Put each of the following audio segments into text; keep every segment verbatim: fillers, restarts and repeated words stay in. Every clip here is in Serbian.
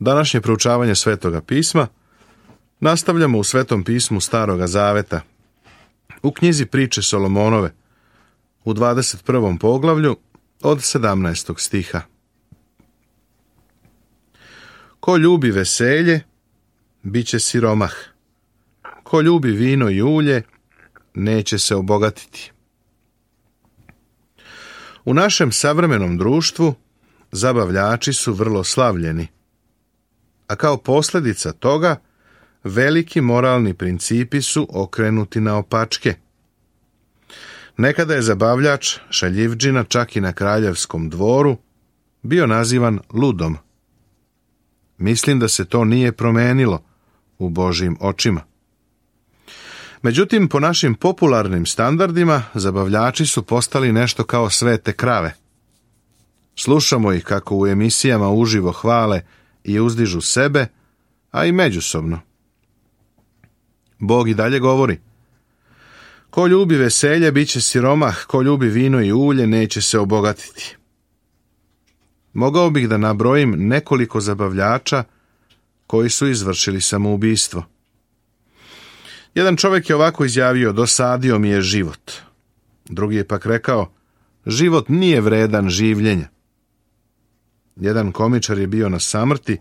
Današnje proučavanje Svetoga pisma nastavljamo u Svetom pismu Staroga Zaveta, u knjizi Priče Solomonove, u dvadeset prvom poglavlju od sedamnaestog stiha. Ko ljubi veselje, bit će siromah. Ko ljubi vino i ulje, neće se obogatiti. U našem savremenom društvu zabavljači su vrlo slavljeni, a kao posljedica toga veliki moralni principi su okrenuti naopačke. Nekada je zabavljač, šaljivdžina, čak i na kraljevskom dvoru, bio nazivan ludom. Mislim da se to nije promenilo u Božjim očima. Međutim, po našim popularnim standardima, zabavljači su postali nešto kao svete krave. Slušamo ih kako u emisijama uživo hvale i uzdižu sebe, a i međusobno. Bog i dalje govori: ko ljubi veselje, bit će siromah, ko ljubi vino i ulje, neće se obogatiti. Mogao bih da nabrojim nekoliko zabavljača koji su izvršili samoubistvo. Jedan čovjek je ovako izjavio: dosadio mi je život. Drugi je pak rekao: život nije vredan življenja. Jedan komičar je bio na samrti.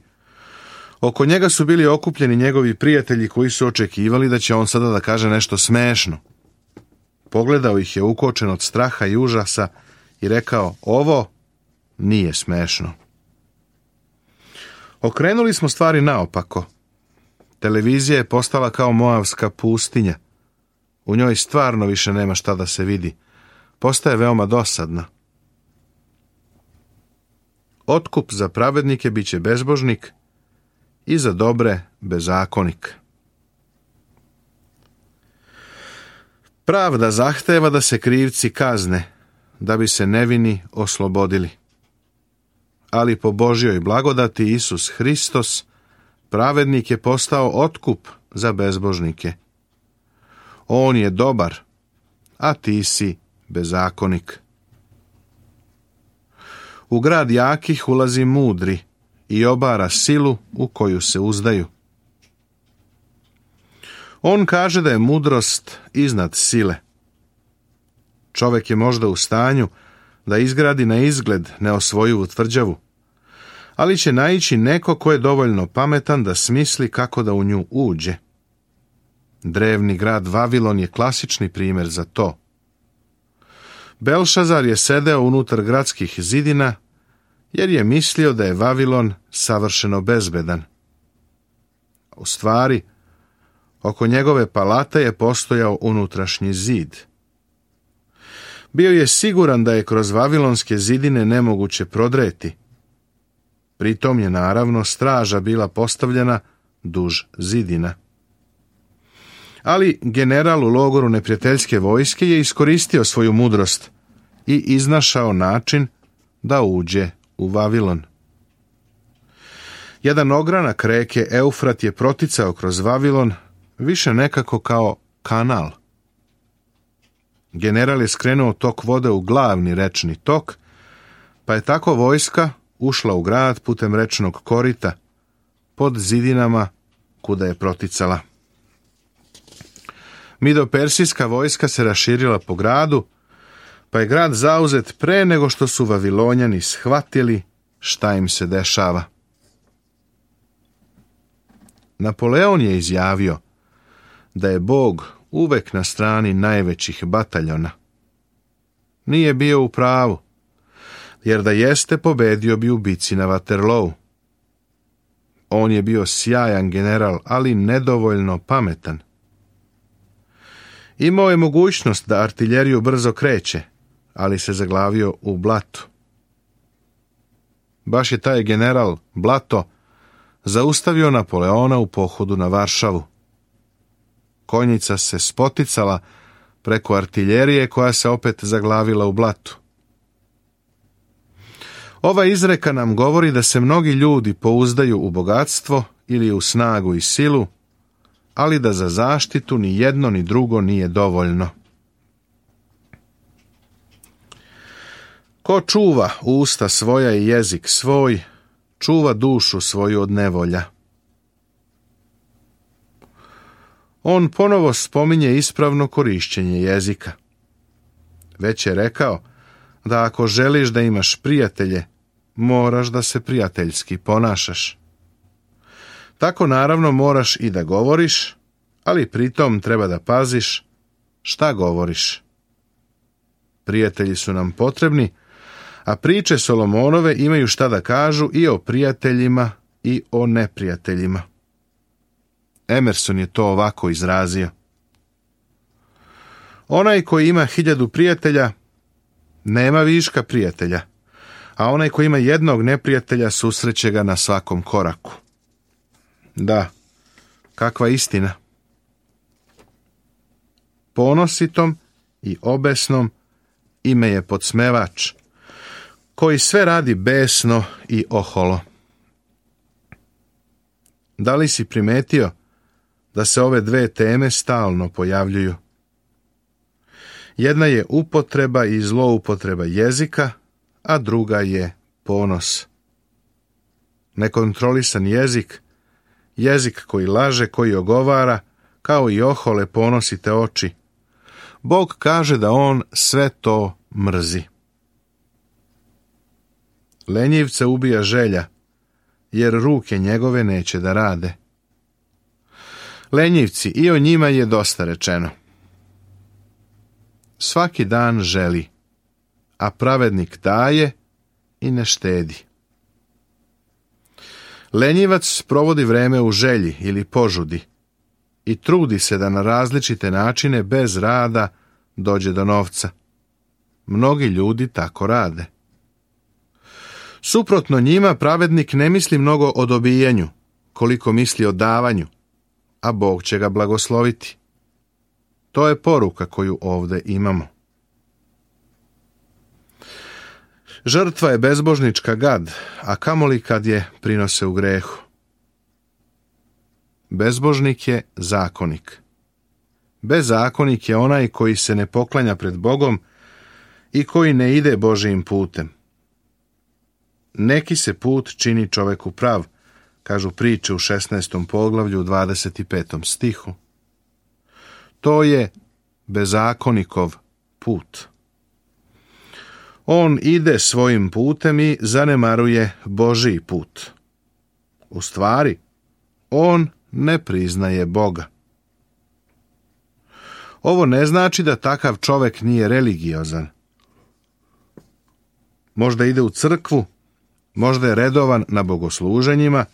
Oko njega su bili okupljeni njegovi prijatelji koji su očekivali da će on sada da kaže nešto smešno. Pogledao ih je ukočen od straha i užasa i rekao: ovo nije smešno. Okrenuli smo stvari naopako. Televizija je postala kao moavska pustinja. U njoj stvarno više nema šta da se vidi. Postaje veoma dosadna. Otkup za pravednike bit će bezbožnik i za dobre bezakonik. Pravda zahteva da se krivci kazne, da bi se nevini oslobodili. Ali po Božjoj blagodati Isus Hristos, pravednik, je postao otkup za bezbožnike. On je dobar, a ti si bezakonik. U grad jakih ulazi mudri i obara silu u koju se uzdaju. On kaže da je mudrost iznad sile. Čovjek je možda u stanju da izgradi na izgled neosvojivu tvrđavu, ali će naići neko ko je dovoljno pametan da smisli kako da u nju uđe. Drevni grad Vavilon je klasični primjer za to. Belšazar je sedeo unutar gradskih zidina jer je mislio da je Vavilon savršeno bezbedan. U stvari, oko njegove palate je postojao unutrašnji zid. Bio je siguran da je kroz vavilonske zidine nemoguće prodreti. Pritom je naravno straža bila postavljena duž zidina. Ali general u logoru neprijateljske vojske je iskoristio svoju mudrost i iznašao način da uđe u Vavilon. Jedan ogranak reke Eufrat je proticao kroz Vavilon, više nekako kao kanal. General je skrenuo tok vode u glavni rečni tok, pa je tako vojska ušla u grad putem rečnog korita, pod zidinama kuda je proticala. Midopersijska vojska se raširila po gradu, pa je grad zauzet pre nego što su Vavilonjani shvatili šta im se dešava. Napoleon je izjavio da je Bog uvek na strani najvećih bataljona. Nije bio u pravu, jer da jeste, pobedio bi u bici na Waterloo. On je bio sjajan general, ali nedovoljno pametan. Imao je mogućnost da artiljeriju brzo kreće, ali se zaglavio u blatu. Baš je taj general Blato zaustavio Napoleona u pohodu na Varšavu. Konjica se spoticala preko artiljerije koja se opet zaglavila u blatu. Ova izreka nam govori da se mnogi ljudi pouzdaju u bogatstvo ili u snagu i silu, ali da za zaštitu ni jedno ni drugo nije dovoljno. Ko čuva usta svoja i jezik svoj, čuva dušu svoju od nevolja. On ponovo spominje ispravno korišćenje jezika. Već je rekao da ako želiš da imaš prijatelje, moraš da se prijateljski ponašaš. Tako naravno moraš i da govoriš, ali pritom treba da paziš šta govoriš. Prijatelji su nam potrebni, a priče Solomonove imaju šta da kažu i o prijateljima i o neprijateljima. Emerson je to ovako izrazio. Onaj koji ima hiljadu prijatelja, nema viška prijatelja, a onaj koji ima jednog neprijatelja susreće ga na svakom koraku. Da, kakva istina. Ponositom i obesnom ime je podsmevač, koji sve radi besno i oholo. Da li si primetio da se ove dve teme stalno pojavljuju? Jedna je upotreba i zloupotreba jezika, a druga je ponos. Nekontrolisan jezik, jezik koji laže, koji ogovara, kao i ohole ponosite oči. Bog kaže da on sve to mrzi. Lenjivce ubija želja, jer ruke njegove neće da rade. Lenjivci, i o njima je dosta rečeno. Svaki dan želi, a pravednik daje i ne štedi. Lenjivac provodi vreme u želji ili požudi i trudi se da na različite načine bez rada dođe do novca. Mnogi ljudi tako rade. Suprotno njima, pravednik ne misli mnogo o dobijanju, koliko misli o davanju, a Bog će ga blagosloviti. To je poruka koju ovdje imamo. Žrtva je bezbožnička gad, a kamoli kad je prinose u grehu. Bezbožnik je zakonik. Bezakonik je onaj koji se ne poklanja pred Bogom i koji ne ide Božijim putem. Neki se put čini čoveku prav, kažu priče u šesnaestom poglavlju u dvadeset petom stihu. To je bezakonikov put. On ide svojim putem i zanemaruje Božiji put. U stvari, on ne priznaje Boga. Ovo ne znači da takav čovek nije religiozan. Možda ide u crkvu, možda je redovan na bogosluženjima,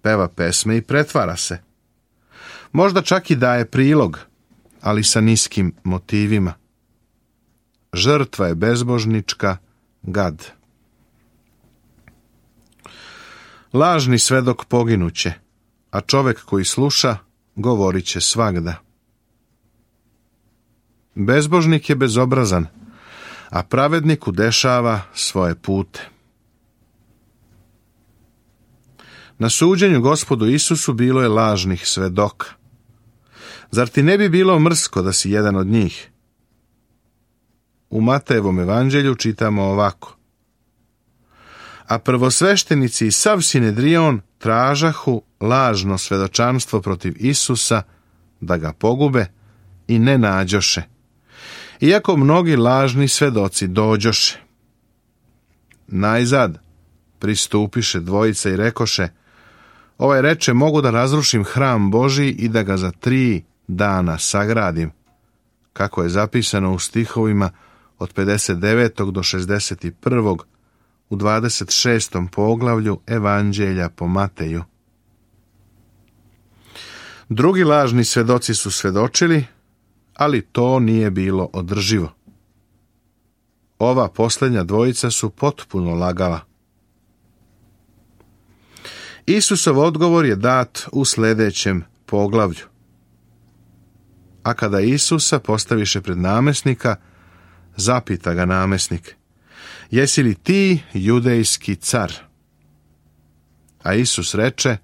peva pesme i pretvara se. Možda čak i daje prilog, ali sa niskim motivima. Žrtva je bezbožnička gad. Lažni svedok poginuće, a čovek koji sluša govorit će svagda. Bezbožnik je bezobrazan, a pravednik udešava svoje pute. Na suđenju Gospodu Isusu bilo je lažnih svedoka. Zar ti ne bi bilo mrsko da si jedan od njih? U Matejevom evanđelju čitamo ovako. A prvosveštenici i sav Sinedrion tražahu lažno svedočanstvo protiv Isusa da ga pogube i ne nađoše, iako mnogi lažni svedoci dođoše. Najzad pristupiše dvojica i rekoše, ovaj reče, mogu da razrušim hram Božji i da ga za tri dana sagradim, kako je zapisano u stihovima od pedeset devetog do šezdeset prvog u dvadeset šestom poglavlju Evanđelja po Mateju. Drugi lažni svedoci su svedočili, ali to nije bilo održivo. Ova posljednja dvojica su potpuno lagala. Isusov odgovor je dat u sljedećem poglavlju. A kada Isusa postaviše pred namesnika, zapita ga namesnik, jesi li ti judejski car? A Isus reče,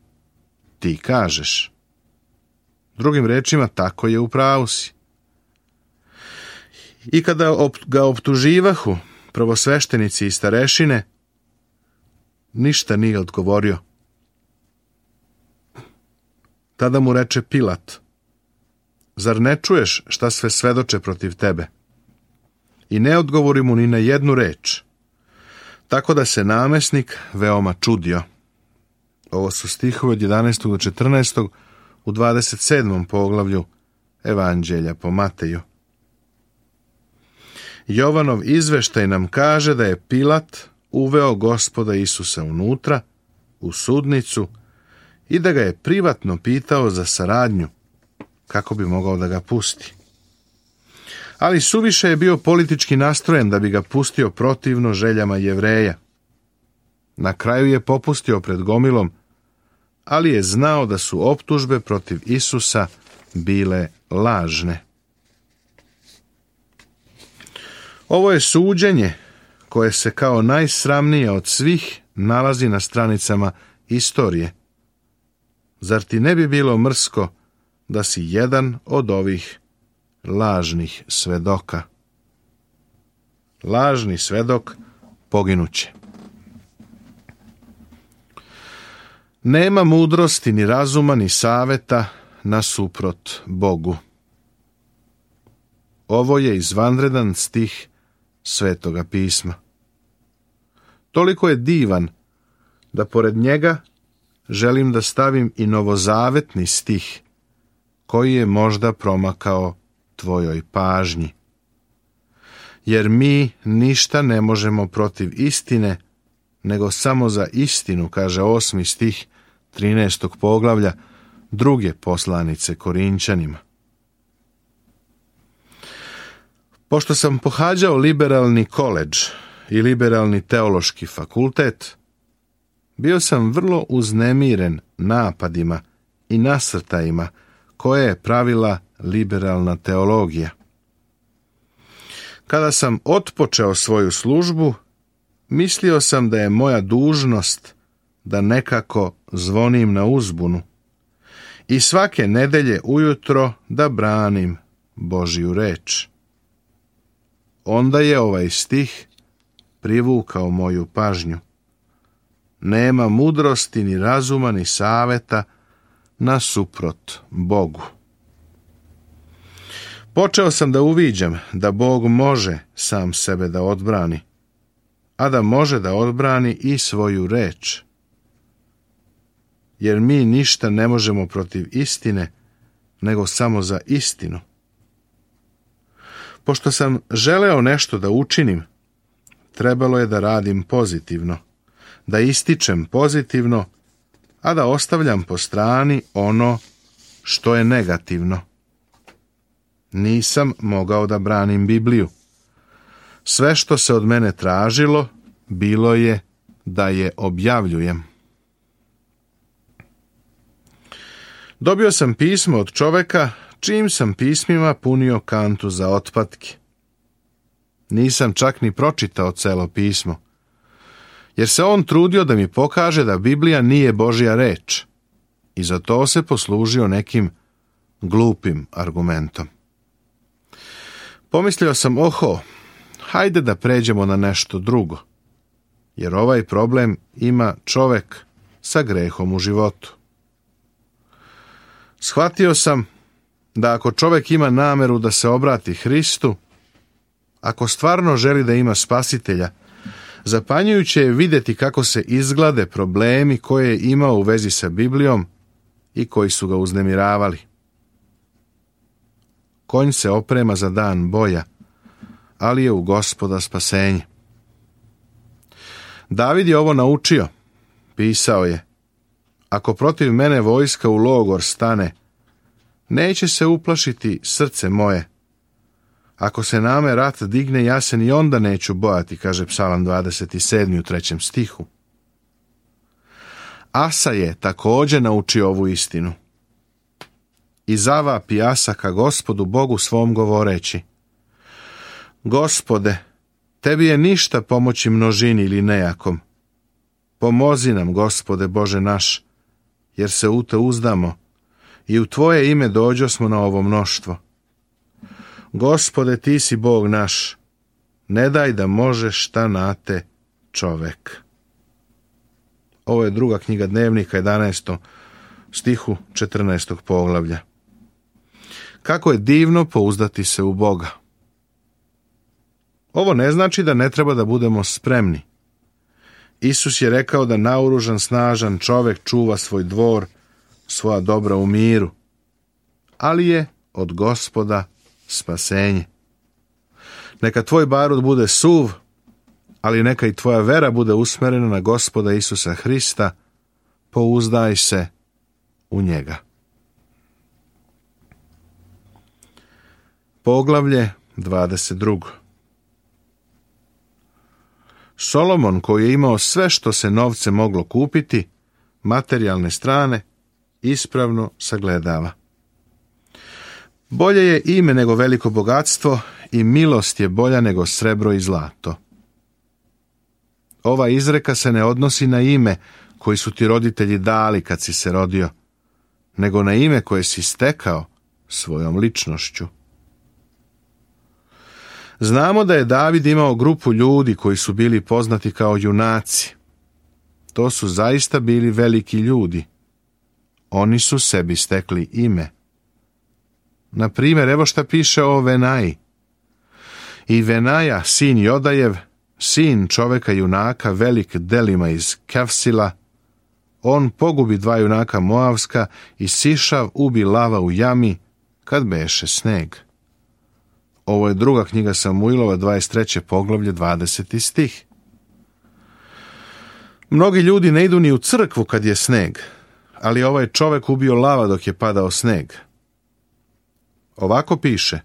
ti kažeš. Drugim rečima, tako je, u pravu si. I kada ga optuživahu prvosveštenici i starešine, ništa nije odgovorio. Tada mu reče Pilat: zar ne čuješ šta sve svedoče protiv tebe? I ne odgovori mu ni na jednu reč. Tako da se namesnik veoma čudio. Ovo su stihovi od jedanaestog do četrnaestog u dvadeset sedmom poglavlju Evanđelja po Mateju. Jovanov izveštaj nam kaže da je Pilat uveo Gospoda Isusa unutra, u sudnicu, i da ga je privatno pitao za saradnju, kako bi mogao da ga pusti. Ali suviše je bio politički nastrojen da bi ga pustio protivno željama Jevreja. Na kraju je popustio pred gomilom, ali je znao da su optužbe protiv Isusa bile lažne. Ovo je suđenje koje se kao najsramnije od svih nalazi na stranicama istorije. Zar ti ne bi bilo mrsko da si jedan od ovih lažnih svedoka? Lažni svedok poginuće. Nema mudrosti, ni razuma, ni saveta nasuprot Bogu. Ovo je izvanredan stih Svetoga pisma. Toliko je divan da pored njega želim da stavim i novozavetni stih koji je možda promakao tvojoj pažnji. Jer mi ništa ne možemo protiv istine, nego samo za istinu, kaže osmi stih trinaestog poglavlja druge poslanice Korinćanima. Pošto sam pohađao liberalni koledž i liberalni teološki fakultet, bio sam vrlo uznemiren napadima i nasrtajima koje je pravila liberalna teologija. Kada sam otpočeo svoju službu, mislio sam da je moja dužnost da nekako zvonim na uzbunu i svake nedelje ujutro da branim Božju reč. Onda je ovaj stih privukao moju pažnju. Nema mudrosti, ni razuma, ni saveta nasuprot Bogu. Počeo sam da uviđam da Bog može sam sebe da odbrani, a da može da odbrani i svoju reč. Jer mi ništa ne možemo protiv istine, nego samo za istinu. Pošto sam želeo nešto da učinim, trebalo je da radim pozitivno, da ističem pozitivno, a da ostavljam po strani ono što je negativno. Nisam mogao da branim Bibliju. Sve što se od mene tražilo, bilo je da je objavljujem. Dobio sam pismo od čoveka čijim sam pismima punio kantu za otpatke. Nisam čak ni pročitao celo pismo, jer se on trudio da mi pokaže da Biblija nije Božja reč i za to se poslužio nekim glupim argumentom. Pomislio sam, oho, hajde da pređemo na nešto drugo, jer ovaj problem ima čovek sa grehom u životu. Shvatio sam da ako čovek ima nameru da se obrati Hristu, ako stvarno želi da ima spasitelja, zapanjujuće je vidjeti kako se izglade problemi koje je imao u vezi sa Biblijom i koji su ga uznemiravali. Konj se oprema za dan boja, ali je u Gospoda spasenje. David je ovo naučio. Pisao je: ako protiv mene vojska u logor stane, neće se uplašiti srce moje. Ako se name rat digne, ja se ni onda neću bojati, kaže Psalam dvadeset sedmi u trećem stihu. Asa je također naučio ovu istinu. I zavapi Asa ka Gospodu Bogu svom govoreći: Gospode, tebi je ništa pomoći množini ili nejakom. Pomozi nam, Gospode Bože naš, jer se u te uzdamo i u tvoje ime dođosmo na ovo mnoštvo. Gospode, ti si Bog naš, ne daj da može šta na te čovek. Ovo je druga knjiga Dnevnika, jedanaestom stihu četrnaestog poglavlja. Kako je divno pouzdati se u Boga. Ovo ne znači da ne treba da budemo spremni. Isus je rekao da naoružan, snažan čovjek čuva svoj dvor, svoja dobra u miru, ali je od Gospoda spasenje. Neka tvoj barut bude suv, ali neka i tvoja vera bude usmjerena na Gospoda Isusa Hrista, pouzdaj se u njega. Poglavlje dvadeset dva. Solomon, koji je imao sve što se novce moglo kupiti, materijalne strane, ispravno sagledava. Bolje je ime nego veliko bogatstvo i milost je bolja nego srebro i zlato. Ova izreka se ne odnosi na ime koji su ti roditelji dali kad si se rodio, nego na ime koje si stekao svojom ličnošću. Znamo da je David imao grupu ljudi koji su bili poznati kao junaci. To su zaista bili veliki ljudi. Oni su sebi stekli ime. Na primjer, evo šta piše o Venaji. I Venaja, sin Jodajev, sin čoveka junaka, velik delima iz Kefsila, on pogubi dva junaka Moavska i Sišav ubi lava u jami kad beše sneg. Ovo je druga knjiga Samuilova, dvadeset treće poglavlje, dvadeseti stih. Mnogi ljudi ne idu ni u crkvu kad je sneg, ali ovaj čovjek ubio lava dok je padao sneg. Ovako piše: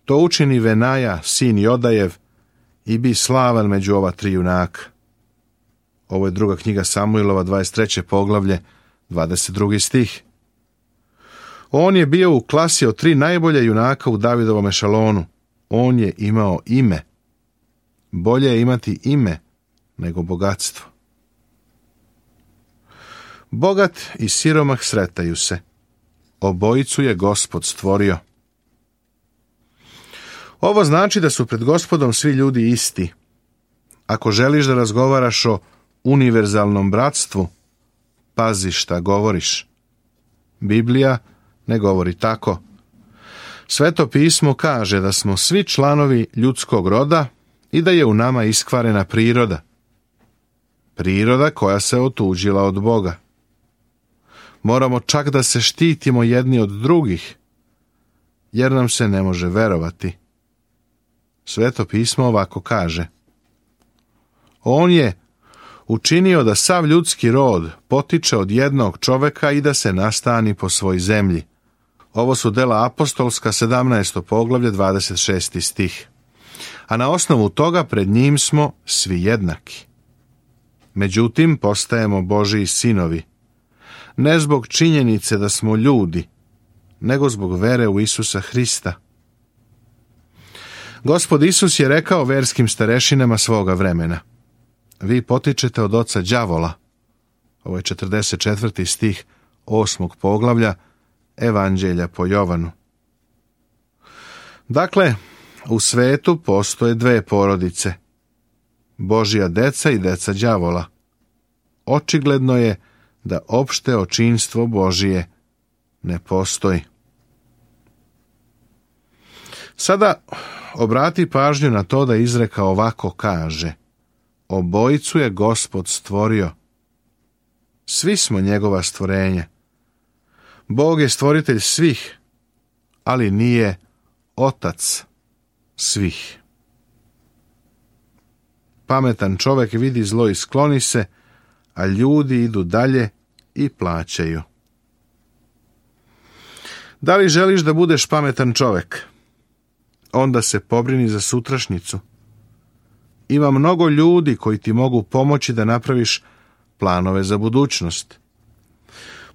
to učini Venaja, sin Jodajev, i bi slavan među ova tri junaka. Ovo je druga knjiga Samuilova, dvadeset treće poglavlje, dvadeset drugi stih. On je bio u klasi od tri najbolja junaka u Davidovom ešalonu. On je imao ime. Bolje je imati ime nego bogatstvo. Bogat i siromah sretaju se. Obojicu je Gospod stvorio. Ovo znači da su pred Gospodom svi ljudi isti. Ako želiš da razgovaraš o univerzalnom bratstvu, pazi šta govoriš. Biblija ne govori tako. Sveto pismo kaže da smo svi članovi ljudskog roda i da je u nama iskvarena priroda. Priroda koja se otuđila od Boga. Moramo čak da se štitimo jedni od drugih, jer nam se ne može verovati. Sveto pismo ovako kaže: on je učinio da sav ljudski rod potiče od jednog čoveka i da se nastani po svoj zemlji. Ovo su dela apostolska, sedamnaesto poglavlje, dvadeset šesti stih. A na osnovu toga pred njim smo svi jednaki. Međutim, postajemo Božiji sinovi, ne zbog činjenice da smo ljudi, nego zbog vere u Isusa Hrista. Gospod Isus je rekao verskim starešinama svoga vremena: vi potičete od oca đavola. Ovo je četrdeset četvrti stih osmog poglavlja Evanđelja po Jovanu. Dakle, u svetu postoje dve porodice: Božja deca i deca đavola. Očigledno je da opšte očinstvo Božije ne postoji. Sada obrati pažnju na to da izreka ovako kaže: obojicu je Gospod stvorio. Svi smo njegova stvorenja. Bog je stvoritelj svih, ali nije otac svih. Pametan čovjek vidi zlo i skloni se, a ljudi idu dalje i plaćaju. Da li želiš da budeš pametan čovjek? Onda se pobrini za sutrašnjicu. Ima mnogo ljudi koji ti mogu pomoći da napraviš planove za budućnost.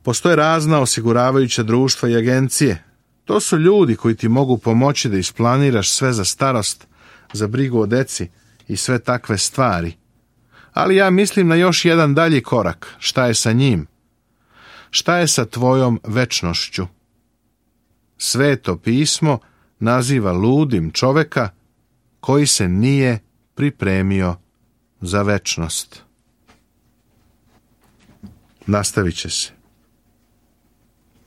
Postoje razna osiguravajuća društva i agencije. To su ljudi koji ti mogu pomoći da isplaniraš sve za starost, za brigu o deci i sve takve stvari. Ali ja mislim na još jedan dalji korak. Šta je sa njim? Šta je sa tvojom večnošću? Sveto pismo naziva ludim čoveka koji se nije pripremio za večnost. nastavit će se.